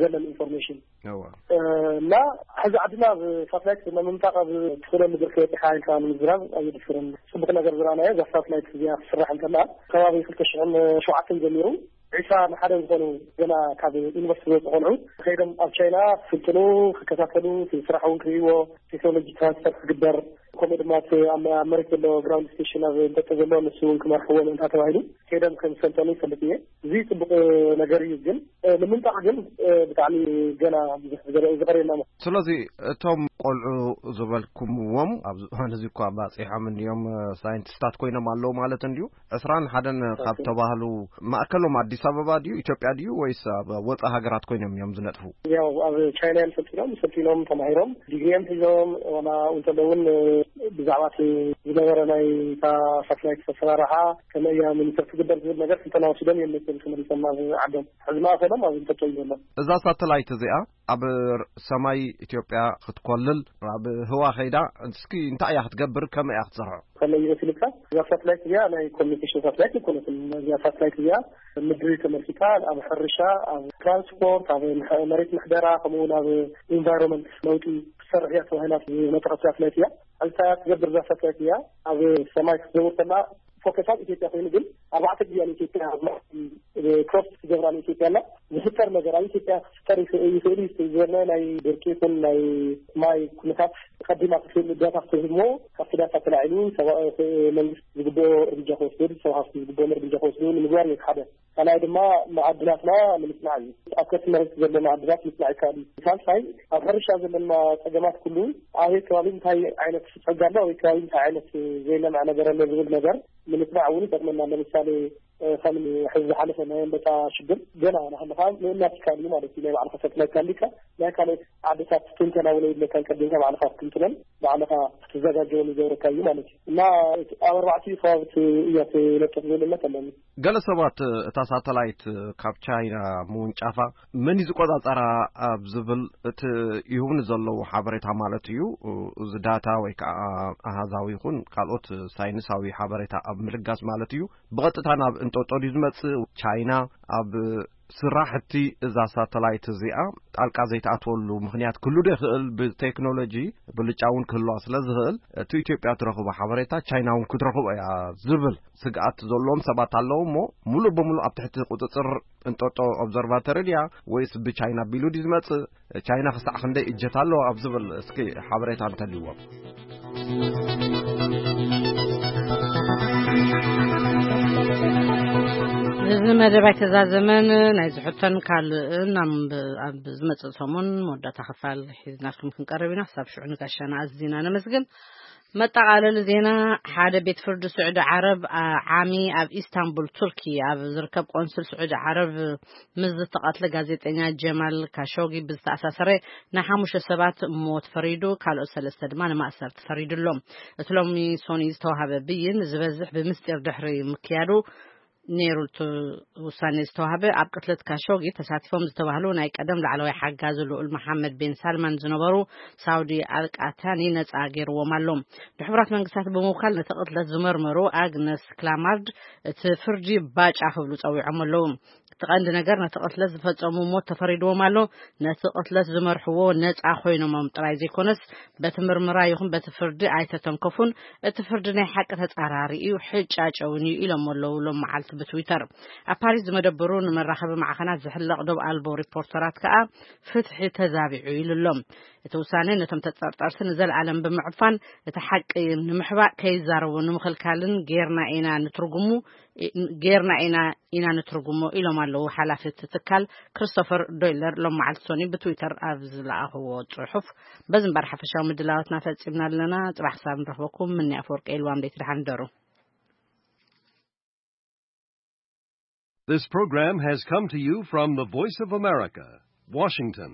ዘለን ኢንፎርሜሽን። እዋ። እ፣ እና ሕዚ ዓድና ኣብ ሳተላይት ንምምጣቕ ኣብ ትኽእለሉ ብርኪ በፂሓ ኢልካ ንምዝራብ ኣየድፍርን። ፅቡቕ ነገር ዝረኣናዮ እዛ ሳተላይት እዚኣ ክትስራሕ እንከላ ከባቢ ክልተ ሽሕን ሸውዓተን ጀሚሩ ዒስራ ንሓደ ዝኾኑ ገና ካብ ዩኒቨርሲቲ ዝወፁ ቆልዑ ከይዶም ኣብ ቻይና ክስልጥኑ፣ ክከታተሉ፣ እቲ ስራሕ እውን ክርእይዎ፣ ቴክኖሎጂ ትራንስፈር ክግበር፣ ከምኡ ድማ እቲ ኣብ ኣብ መሬት ዘሎ ግራውንድ ስቴሽን ኣብ እንጠጠ ዘሎ ንሱ እውን ክመርሕዎ ምእንታ ተባሂሉ ከይዶም ከም ዝሰልጠኑ ይፈልጥ እየ። እዚ ፅቡቅ ነገር እዩ፣ ግን እ፣ ንምምጣቕ ግን እ፣ ብጣዕሚ ገና ብዙሕ ዝገረ- ዝቐርየና። ስለዚ እቶም ቆልዑ ዝበልኩምዎም ኣብዚ እዋን እዚ እኳ ባፂሖም እንድዮም፣ እ፣ ሳይንቲስታት ኮይኖም ኣለዉ ማለት እንድዩ። ዕስራን ሓደን ካብ ተባህሉ ማእከሎም ኣዲስ ኣበባ ድዩ፣ ኢትዮጵያ ድዩ፣ ወይስ ኣብ ወፃኢ ሃገራት ኮይኖም እዮም ዝነጥፉ? ያው ኣብ ቻይና እዮም ሰልጢኖም፣ ሰልጢኖም ተማሂሮም ዲግሪ እዮም ሒዞም። ዋላ እንተሎ እውን ብዛዕባ እቲ ዝነበረ ናይ እታ ሳትላይት ኣሰራርሓ ከመይ እያ ሚኒስተር ትግበር ዝብል ነገር ስልጠና ወሲዶም እዮም መፅኦም ተመሊሶም ናብ ዓዶም። ሕዚ ማእከሎም ኣብ እንጠጦ እዩ ዘሎ። እዛ ሳተላይት እዚኣ ኣብ ሰማይ ኢትዮጵያ ክትኮልል፣ ኣብ ህዋ ከይዳ እስኪ እንታይ እያ ክትገብር፣ ከመይ እያ ክትሰርሖ? ከመይ ይመስልካ? እዛ ሳትላይት እዚኣ ናይ ኮሚኒኬሽን ሳትላይት ኣይኮነትን። እዚኣ ሳትላይት እዚኣ ምድሪ ተመልኪታ ኣብ ሕርሻ፣ ኣብ ትራንስፖርት፣ ኣብ ምሕ- መሬት ምሕደራ፣ ከምኡ እውን ኣብ ኢንቫይሮንመንት ለውጢ ክትሰርሕ እያ ተባሂላ ዝመጠቐት ሳትላይት እያ። እንታይ እያ ትገብር እዛ ሳትላይት እዚኣ? ኣብ ሰማይ ክትዘውር ከላ ፎከስ ኣብ ኢትዮጵያ ኮይኑ፣ ግን ኣርባዕተ ግዜ ንኢትዮጵያ ክሮስ ክትገብራ ንኢትዮጵያ ኣላ። ዝፍጠር ነገር ኣብ ኢትዮጵያ ክፍጠር ይኽእል ይኽእል እዩ ዝበልና ናይ ድርቂ ይኹን ናይ ማይ ኩነታት ቀዲማ ክትህብ ዳታ ክትህብ እሞ ካብቲ ዳታ ተላዒሉ ሰብኣዊ መንግስቲ ዝግብኦ እርምጃ ክወስድ፣ ሰብ ሃፍቲ ዝግብኦም እርምጃ ክወስዱ ንምግባር እዩ ሓደ። ካልኣይ ድማ መዓድናትና ንምጽናዕ እዩ። ኣብ ከርሲ መሬት ዘሎ መዓድናት ምጽናዕ ይከኣል እዩ። ሳልሳይ ኣብ ሕርሻ ዘለና ጸገማት ኩሉ ኣበይ ከባቢ እንታይ ዓይነት ጸጋ ኣሎ፣ ኣበይ ከባቢ እንታይ ዓይነት ዘይለምዐ ነገር ኣሎ ዝብል ነገር ንምጽናዕ እውን ይጠቅመና። ለምሳሌ ከም ሕዚ ዝሓለፈ ናይ ኣንበጣ ሽግር ገና ናህልኻ ምእናት ይከኣል እዩ ማለት እዩ። ናይ ባዕልኻ ሳትላይት ኣሊካ ናይ ካልኦት ዓድታት ትንተና እውን የድለካን። ቀዲምካ ባዕልኻ ክትንትነን ባዕልኻ ክትዘጋጀውን ይገብረካ እዩ ማለት እዩ። እና ኣብ ኣርባዕቲኡ ከባቢ እያ ትነጥፍ ዝብል እምነት ኣለኒ። ገለ ሰባት እታ ሳተላይት ካብ ቻይና ምውንጫፋ መን እዩ ዝቆጻጸራ ኣብ ዝብል እቲ ይህቡኒ ዘለዉ ሓበሬታ ማለት እዩ፣ እዚ ዳታ ወይ ከዓ ኣሃዛዊ ይኹን ካልኦት ሳይንሳዊ ሓበሬታ ኣብ ምልጋስ ማለት እዩ፣ ብቐጥታ ናብ እንጦጦ ድዩ ዝመጽእ? ቻይና ኣብ ስራሕቲ እዛ ሳተላይት እዚኣ ጣልቃ ዘይትኣትወሉ ምኽንያት ክህሉ ዶ ይኽእል? ብቴክኖሎጂ ብልጫ እውን ክህልዋ ስለ ዝኽእል፣ እቲ ኢትዮጵያ ትረኽቦ ሓበሬታ ቻይና እውን ክትረኽቦ እያ ዝብል ስግኣት ዘለዎም ሰባት ኣለዉ እሞ፣ ሙሉእ ብሙሉእ ኣብ ትሕቲ ቁጽጽር እንጦጦ ኦብዘርቫተሪ ድያ ወይስ ብቻይና ቢሉ ድዩ ዝመጽእ? ቻይና ክሳዕ ክንደይ እጀት ኣለዋ ኣብ ዝብል እስኪ ሓበሬታ እንተልይዎም። እዚ መደብ ኣይተዛዘመን። ናይ ዝሕቶን ካልእን ኣብ ኣብ ዝመጽእ ሰሙን መወዳእታ ክፋል ሒዝናልኩም ክንቀርብ ኢና። ክሳብ ሽዑ ንጋሻና ኣዚና ነመስግን። መጠቓለሊ ዜና። ሓደ ቤት ፍርዲ ስዑዲ ዓረብ፣ አ፣ ዓሚ ኣብ ኢስታንቡል ቱርኪ ኣብ ዝርከብ ቆንስል ስዑዲ ዓረብ ምስ ዝተቐትለ ጋዜጠኛ ጀማል ካሾጊ ብዝተኣሳሰረ ንሓሙሽተ ሰባት ሞት ፈሪዱ፣ ካልኦት ሰለስተ ድማ ንማእሰርቲ ፈሪዱሎም። እቲ ሎሚ ሶኒ ዝተዋህበ ብይን ዝበዝሕ ብምስጢር ድሕሪ ምክያዱ ነይሩ። እቲ ውሳኔ ዝተዋህበ ኣብ ቅትለት ካሾጊ ተሳቲፎም ዝተባህሉ ናይ ቀደም ላዕለዋይ ሓጋዚ ልኡል መሓመድ ቤን ሳልማን ዝነበሩ ሳውዲ ኣልቃታኒ ነጻ ገይርዎም ኣሎ። ንሕቡራት መንግስታት ብምውካል ነቲ ቅትለት ዝመርመሩ ኣግነስ ክላማርድ እቲ ፍርዲ ባጫ ክብሉ ጸዊዖም ኣለዉ። እቲ ቀንዲ ነገር ነቲ ቅትለት ዝፈጸሙ ሞት ተፈሪድዎም ኣሎ። ነቲ ቅትለት ዝመርሕዎ ነጻ ኮይኖሞም ጥራይ ዘይኮነስ በቲ ምርመራ ይኹን በቲ ፍርዲ ኣይተተንከፉን። እቲ ፍርዲ ናይ ሓቂ ተጻራሪ እዩ፣ ሕጫጨውን እዩ ኢሎም ኣለዉ ሎም መዓልቲ ትዊተር ኣብ ፓሪስ ዝመደበሩ ንመራኸቢ ማዕኸናት ዝሕለቕ ዶብ ኣልቦ ሪፖርተራት ከኣ ፍትሒ ተዛቢዑ ኢሉ ኣሎ። እቲ ውሳነ ነቶም ተጠርጠርቲ ንዘለኣለም ብምዕፋን እቲ ሓቂ ንምሕባእ ከይዛረቡ ንምኽልካልን ጌርና ኢና ንትርጉሙ ጌርና ኢና ኢና ንትርጉሞ ኢሎም ኣለዉ ሓላፊ እቲ ትካል ክሪስቶፈር ዶይለር ሎም መዓልቲ ሶኒ ብትዊተር ኣብ ዝለኣኽዎ ጽሑፍ። በዚ እምበር ሓፈሻዊ ምድላዋትና ፈጺምና ኣለና። ጽባሕ ክሳብ ንረኽበኩም ምኒ ኣፈወርቂ ኢልዋም ደይቲ ደሓን ደሩ። This program has come to you from the Voice of America, Washington.